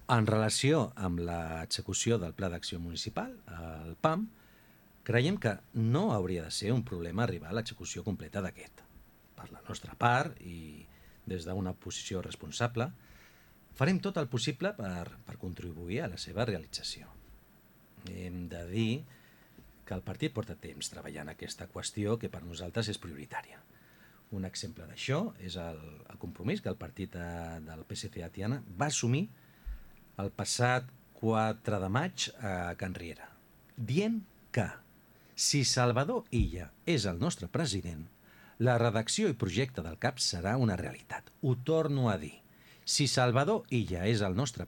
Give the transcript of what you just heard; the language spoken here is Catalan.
En relació amb l'execució del Pla d'Acció Municipal, el PAM, creiem que no hauria de ser un problema arribar a l'execució completa d'aquest. Per la nostra part, i des d'una posició responsable, farem tot el possible per contribuir a la seva realització. Hem de dir que el partit porta temps treballant aquesta qüestió que per nosaltres és prioritària. Un exemple d'això és el compromís que el partit del PSC a Tiana va assumir el passat 4 de maig a Can Riera, dient que si Salvador Illa és el nostre president, la redacció i projecte del CAP serà una realitat. Ho torno a dir. Si Salvador Illa és el nostre president,